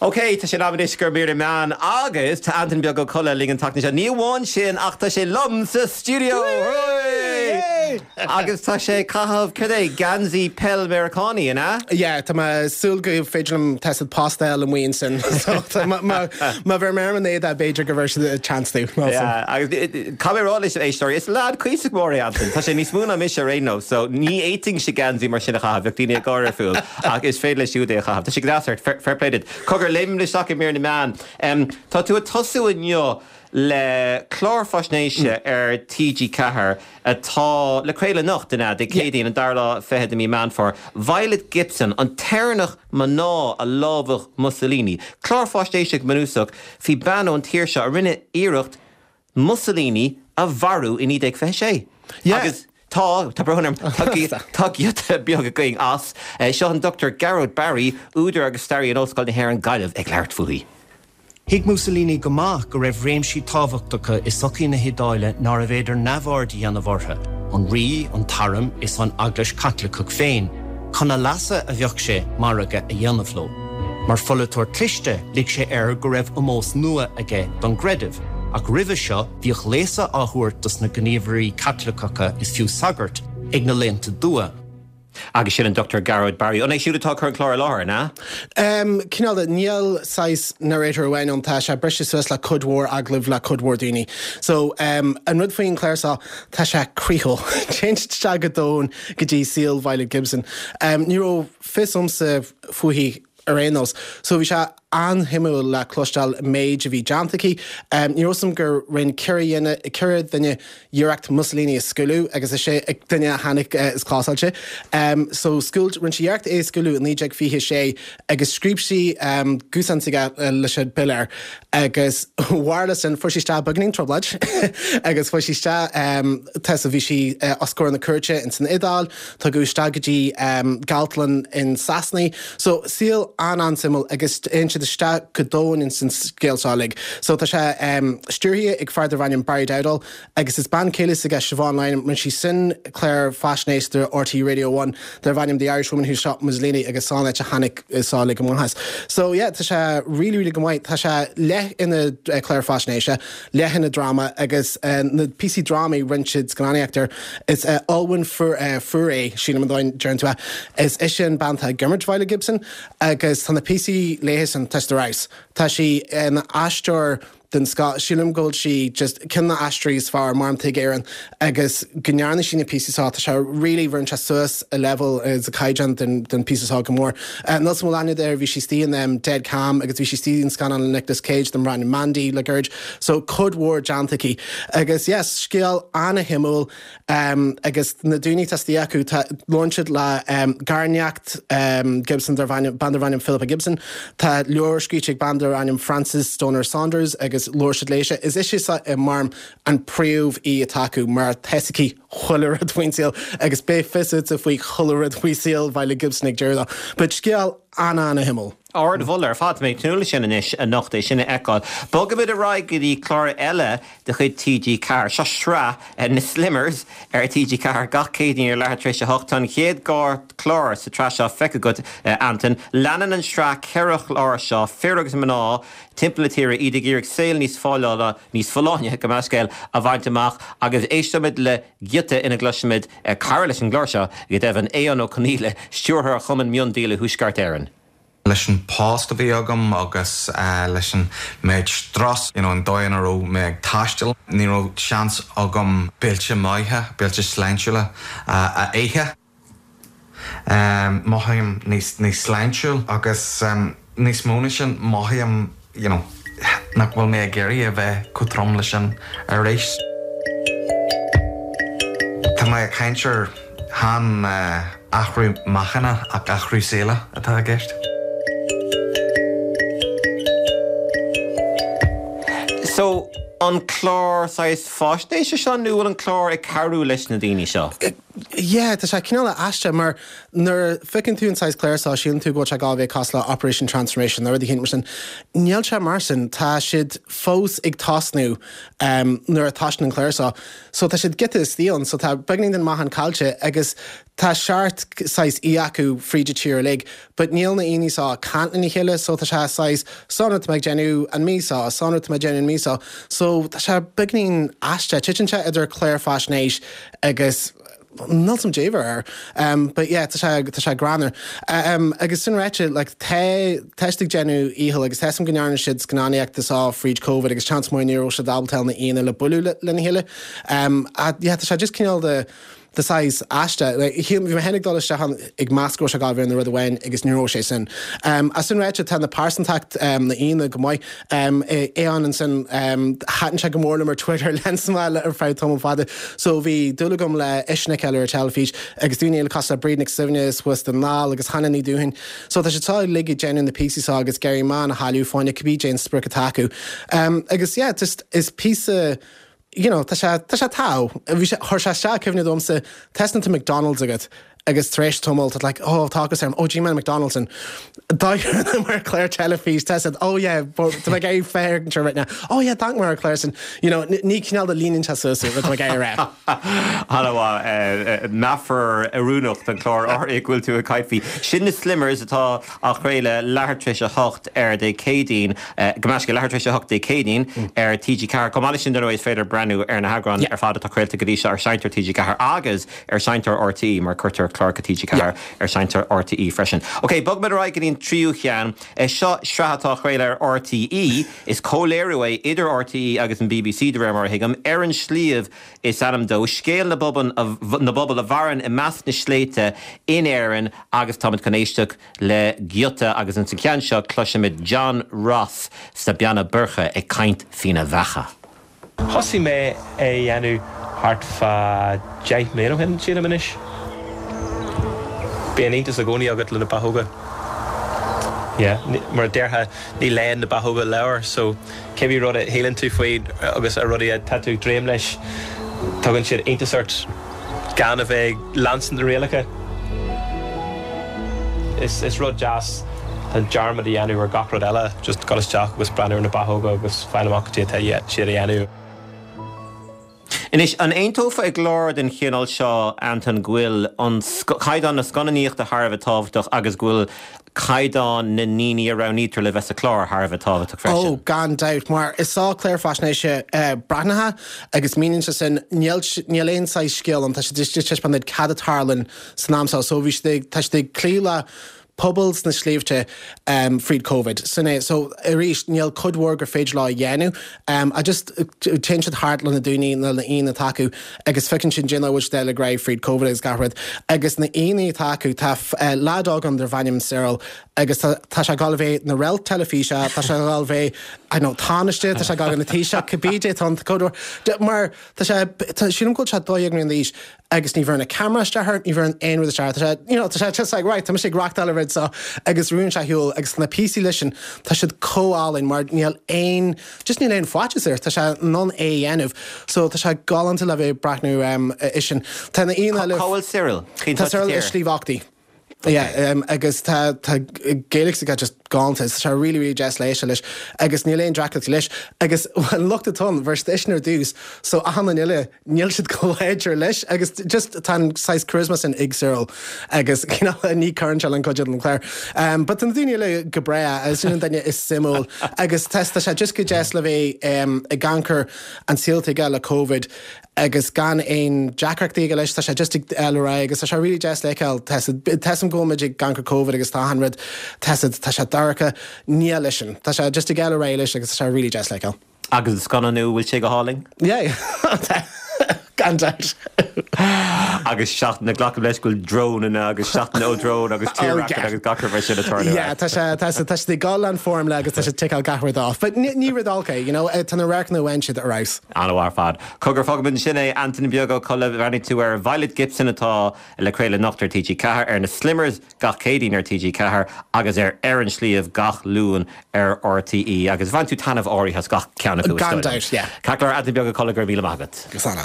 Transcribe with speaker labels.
Speaker 1: Ok, tá sé in am anois do mhír na meán agus tá Antain Beag Ó Colla linn an tseachtain seo. Ní amháin sin ach tá sé liom sa stiúideo! Hooray! Agus tá sé ag caitheamh, cad é, geansaí peil Meiriceánaí, an ea?
Speaker 2: Yeah, tá mé ag súil go féidir liom tá siad post a fháil amuigh ansin. So, má, má, má bheir mé ar an éadaí b'fhéidir go bhfuair siad chance tú.
Speaker 1: Yeah, agus caithfidh mé a rá leis an éisteoirí, is leaid cuíosach mór é Antain. Tá sé níos mó ná mise ar aon nós, so ní fhéadfainnse geansaí mar sin a chaitheamh, bheadh daoine ag gáire fúm. Ach is féidir leis siúd é a chaitheamh. Tá sé go deas ort. Fair play duit. Cogar, léimimid isteach i mír na meán. Tá tú ag tosú inniu le clár faisnéise ar TG4 atá le craoladh anocht, an ea? Dé Céadaoin, an dara lá fichead de mí Meán Fómhair. Violet Gibson, an tÉireannach mná a lámhach Mussolini. Clár faisnéise go bunúsach faoi bean ón tír seo a rinne iarracht Mussolini a mharú i 1926. Agus tá, tá brón orm, tá giota beag againn as. Seo an Dr Gearóid Barry, údar agus staraí in Ollscoil na hÉireann, Gaillimh, ag labhairt fúithi.
Speaker 3: Thuig Mussolini go maith go raibh réimsí tábhachtacha i sochaí na hIodáile nárbh fhéidir neamhaird a dhéanamh orthu, an rí, an t-arm is an Eaglais Chaitliceach féin. Chun a leasa a bheadh sé margadh a dhéanamh leo. Mar pholaiteoir cliste, lig sé air go raibh ómós nua aige don gcreideamh, ach roimhe seo bhíodh léasadh á thabhairt dos na gníomhairí Caitliceacha is fiú sagairt ag na laethanta dubha.
Speaker 1: Agus sin an Dr Gearóid Barry. An é siúd atá ag cur an clár i láthair, an ea?
Speaker 2: Cineál de, níl saghas narrator amháin ann, tá sé briste suas le cuid mhór agallamh le cuid mhór daoine. So, an rud faoin chlár seo, tá sé croíúil. Téann siad isteach go domhain go dtí saol Violet Gibson. Ní raibh fios a'msa fúithi ar aon nós. So bhí sé an-shuimiúil le cloisteáil an méid a bhí déanta aici. Ní raibh 'fhios a'm gur rinn 4 dhuine, 4 duine iarracht Mussolini a scaoileadh agus is é duine a tháinig is clásáilte. So scaoil, rinn sí iarracht é a scaoileadh i 1926 agus scríob sí guthán s'aige leis an bille air agus mhair leis sin, fuair sí isteach beagáinín trioblóid agus fuair sí isteach, tá so bhí sí os comhair na cúirte ins an Iodáil, Tugadh isteach go dtí galtlann in Sasana í. So, saol an-an-suimiúil agus téann siad isteach go domhain ins an scéal seo uilig. So, tá sé stiúrtha ag fear darbh ainm Barry Dowdall agus is bean chéile s'aige Siobhan Lynham, rinne sí sin clár faisnéise do RTÉ Radio One darbh ainm The Irish Woman Who Shot Mussolini agus seo an áit a tháinig seo uilig amach as. So, yeah, tá sé really, really go maith. Tá sé leath ina clár faisnéise. leath ina dráma agus na píosaí drámaí rinne siad scannánaíocht air. Is Olwen Fouéré, sílim an dóigh a ndeireann tú é, is ise an bean atá ag imirt Violet Gibson agus tá na píosaí léithe san, tá siad ar fheabhas. Tá sí ina aisteoir den scoth, sílim go bhfuil sí just ceann de na aisteoirí is fearr mar atá ag Éirinn agus go ndearna sí na píosaí seo, tá sé really, bheireann sé suas a level is a caighdeán den den píosa seo go mór. Níl 's a'm an bhfuil aithne agat air, bhí sí istigh in Dead Calm agus bhí sí istigh in scannán le Nicolas Cage darb ainm Mandy le gairid. So cuid mhór déanta aici. Agus yes, scéal ana-shuimiúil agus na daoine atá istigh acu, tá, labhrann siad le garneacht Gibson darb ainm, bean darb ainm Philippa Gibson. Tá leabhar scríte ag bean darb ainm Frances Stonor Saunders agus labhair siad léise. Is ise mar an príomh aoi atá acu mar tá 'fhios aici chuile rud faoin saol agus beidh fios agatsa faoi chuile rud faoi saol Violet Gibson ag deireadh dó. But scéal an-an-shuimiúil.
Speaker 1: Ardmholadh ar fad. Tá mé ag tnúth leis sin anois anocht é sin a fheiceáil. Bogaimid ar aghaidh go dtí clár eile de chuid TG4. Seo sraith na Slimmers ar TG4 gach Céadaoin ar leathuair tar éis a hocht. Tá an chéad dhá chlár sa tsraith seo feicthe agat, Antain. Leanann an tsraith ceithre chlár seo, fir agus mná timpeall na tíre, iad ag iarraidh saol níos fáileála, níos folláine, gabh mo leithscéal, a bhaint amach agus éisteoimid le giota ina gcloisimid cara leis an gclár seo, go deimhin, Aodhán Ó Conghaile, Stiúrthóir Chumann Miondíola Thuaisceart Éireann.
Speaker 4: Leis an post a bhí agam agus leis an méid strus, you know an dóigh ina raibh mé ag taisteal, ní raibh seans agam béilte maithe, béilte sláintiúla a ithe. Mothaím níos níos sláintiúil agus níos mó ná sin, mothaím you know nach bhfuil mé ag iarraidh a bheith chomh trom le sin arís. Tá mé ag caint ar chan athrú meáchain ach athrú saoil atá i gceist.
Speaker 1: So, an clár saghas faisnéise seo nó bhfuil an clár ag cabhrú leis na daoine seo?
Speaker 2: Yeah, tá sé cineál aisteach mar nuair a feiceann tú an saghas clár seo síleann tú go bhfuil sé ag gabháil a bheith cosúil le Operation Transformation nó rud éicint mar sin. Níl sé mar sin, tá siad fós ag tosnú nuair a toisíonn an clár seo. So tá siad giota istigh ann, so tá beagáinín den meáchan caillte agus tá seart saghas aoi acu fríd an tír uilig but níl na aoinne seo ag caint lena chéile so tá sé saghas seo an rud atá mé ag déanamh an mí seo, seo an rud atá mé ag déanamh an mí seo. So tá sé beagáinín aisteach, titeann sé idir clár faisnéis agus níl 's a'm caidé air. But yeah, tá sé, tá sé greannmhar. Agus sin ráite, like, tá, tá siad ag déanamh iachall agus tá 's a'm go ndearna siad scannánaíocht seo fríd Covid agus seans maith ní raibh siad ábalta na aíonna le bualadh lena chéile. Ach yeah, tá sé just cineál de, de saghas aisteach. Like, shíl, bhí mé féin ag dul isteach ann ag meas go raibh sé ag gabháil a bheith ina rud amháin agus ní raibh sé sin. Ach sin ráite, tá na pearsantacht na aíonna go maith. Aodhán ansin, thaitin sé go mór liom ar Twitter, lean mé ar feadh tamall fada. So bhí dúil agam le eisean a fheiceáil ar an teilifís agus daoine eile cosúil le Bríd Nic Suibhne suas Dún na nGall agus Hannah Ní Dúthain. So tá siad seo uilig ag déanamh na píosaí seo agus ag iarraidh meáchan a chailleadh fá choinne cibé cén sprioc atá acu. Agus yeah, just is píosa, you know, tá sé, tá sé togha. Bhí sé, chuir sé isteach cuimhne domsa, tá tá McDonald's agat agus tar éis tamaill tá like, oh, tá ocras orm, oh, d'ith mé McDonald's and d'amharc mé ar chlár teilifís, tá siad, oh yeah, tá mé ag iarraidh féachaint right now, oh yeah, d'amharc mé ar chlár sin, you know, ní cineál de líonann sé suas rud atá mé ag iarraidh a rá.
Speaker 1: An-mhaith. Meafar oiriúnach don chlár áirithe go bhfuil tú ag caint faoi. Sin na Slimmers atá á chraoladh leathuair tar éis a 8 ar Dé Céadaoin, gabh mo leithscéal, leathuair tar éis a 8 Dé Céadaoin ar TG4. Chomh maith leis sin, dar ndóigh, is féidir breathnú ar na heagráin ar fad atá craolta go dtí seo ar Seinnteoir TG4 agus ar Seinnteoir RTÉ, mar cuirtear cláracha TG4 ar Seinnteoir RTÉ freisin. Ok, bogfaimid ar aghaidh go dtí an tríú cheann. Seo sraith atá á chraoladh ar RTÉ. Is comhléiriú é idir RTÉ agus an bbc, de réir mar a thuigim, Ar an Sliabh is ainm dó, scéal na na bpobal a mhaireann i measc na sléibhte in Éirinn agus táimid chun éisteacht le giota agus ins an cheann seo cloisimid John Ross sna Beanna Boirche ag caint faoina bheacha.
Speaker 5: Thosaigh mé é a dhéanamh thart fá dheich mbliana ó shin, sílim anois. Bíonn iontas i gcónaí agat le na beachóga. Yeah, mar a déarfá, ní léann na beachóga leabhair, so cibé rud a shíleann tú faoi agus a rudaí atá tú ag dréim leis, tugann siad iontas ort gan a bheith ag leanstan na rialacha. Is rud deas an dearmad a dhéanamh ar gach rud eile, just dul isteach agus breathnú ar na beachóga agus fáil amach cad é atá siad a dhéanamh.
Speaker 1: Anois, an aontófá i gclár den chineál seo, Anton, go bhfuil an caighdeán na scannánaíochta thar a bheith tábhachtach agus go bhfuil caighdeán na ndaoine a roghnaítear le bheith sa chlár thar a bheith tábhachtach freisin?
Speaker 2: Ó, gan dabht, mar is sá clár faisnéise breathnaitheach agus míníonn sé sin, níl, níl aon saghas scéal ann, tá siad ag taispeáint duit cad a tarlaíonn san am seo. So bhí siad ag, tá siad ag cloí le pobal sna sléibhte fríd Covid. Sin é. So arís, níl cuid mhór gur féidir leo a dhéanamh. I just, téann siad thart le na daoine, na aíonna atá acu agus feiceann siad cén dóigh a bhfuil siad ag dul ar aghaidh fríd Covid agus gach rud. Agus na aíonna atá acu, tá leaid óg ann darb ainm Cyril agus tá, tá sé ag dul a bheith ina réalt teilifíse, tá sé ag dul a bheith, I don't know, tánaiste, tá sé ag dul ina Taoiseach, cibé dé tá an cuid mhór, mar tá sé, tá, sílim go bhfuil sé 12 mbliana d'aois agus ní bheireann an camera isteach air, ní bheireann aon rud isteach air. Tá sé, you know, tá sé just like, right, tá mise ag reachtáil an rud seo agus ruann sé ar shiúl agus na píosaí leis sin, tá siad chomh álainn mar níl aon, just níl aon faitíos air, tá sé in ann é a dhéanamh. So tá sé galánta le bheith ag breathnú air sin. Tá na aíonna eile.
Speaker 1: Cá bhfuil Cyril?
Speaker 2: Cén Tá Cyril i Sliabh Ochtaí. Yeah, um, agus tá tá Gaeilge s'aige just galánta, tá sé really really deas le éisteacht leis agus níl aon deacracht leis agus an locht atá ann bhí eisean ar dtús so achan duine eile níl siad chomh láidir leis agus just tá an saghas charisma sin ag Cyril agus cineál ní chuireann sé le an cuid den chlár. Um, but tá na daoine eile go breá agus sin an duine is suimiúil agus tá tá sé just go deas le bheith um, ag amharc ar an saol atá aige le Covid agus gan aon deacrachtaí aige leis, tá sé just ag dul ar aghaidh agus tá sé really deas le feiceáil, tá 'fhios a'm go bhfuil muid ag amharc ar Covid agus tá achan rud, tá 'fhios a'd, tá sé dorcha, níl leisean, tá sé just ag dul ar aghaidh leis agus tá sé really deas le feiceáil.
Speaker 1: Agus an scannánú, bhfuil sé go hálainn?
Speaker 2: Yeah, tá, gan dabht.
Speaker 1: Agus seachtain, glacaim leis go bhfuil drónanna agus seachtain ó drón agus tírdhreach agus gach rud mar sin ag tarlú.
Speaker 2: Yeah, tá sé, tá sé, tá sé ag dul an formula agus tá sé ag ticeáil gach rud off. But ní, ní rud olc é, you know, tá na radharcanna a bhain siad ar fheabhas.
Speaker 1: An-mhaith ar fad. Cogar, fágfaimid ansin é, Antain Beag Ó Colla, bhreathnaigh tú ar Violet Gibson atá le craoladh anocht ar TG4, ar na Slimmers gach Céadaoin ar TG4 agus ar Ar an Sliabh gach Luan ar RTÉ agus bhain tú taitneamh áirithe as gach ceann acu is
Speaker 2: dóigh liom. Gan dabht, yeah.
Speaker 1: Ceart go leor, Antain Beag Ó Colla, go raibh míle maith agat.
Speaker 2: Go sona.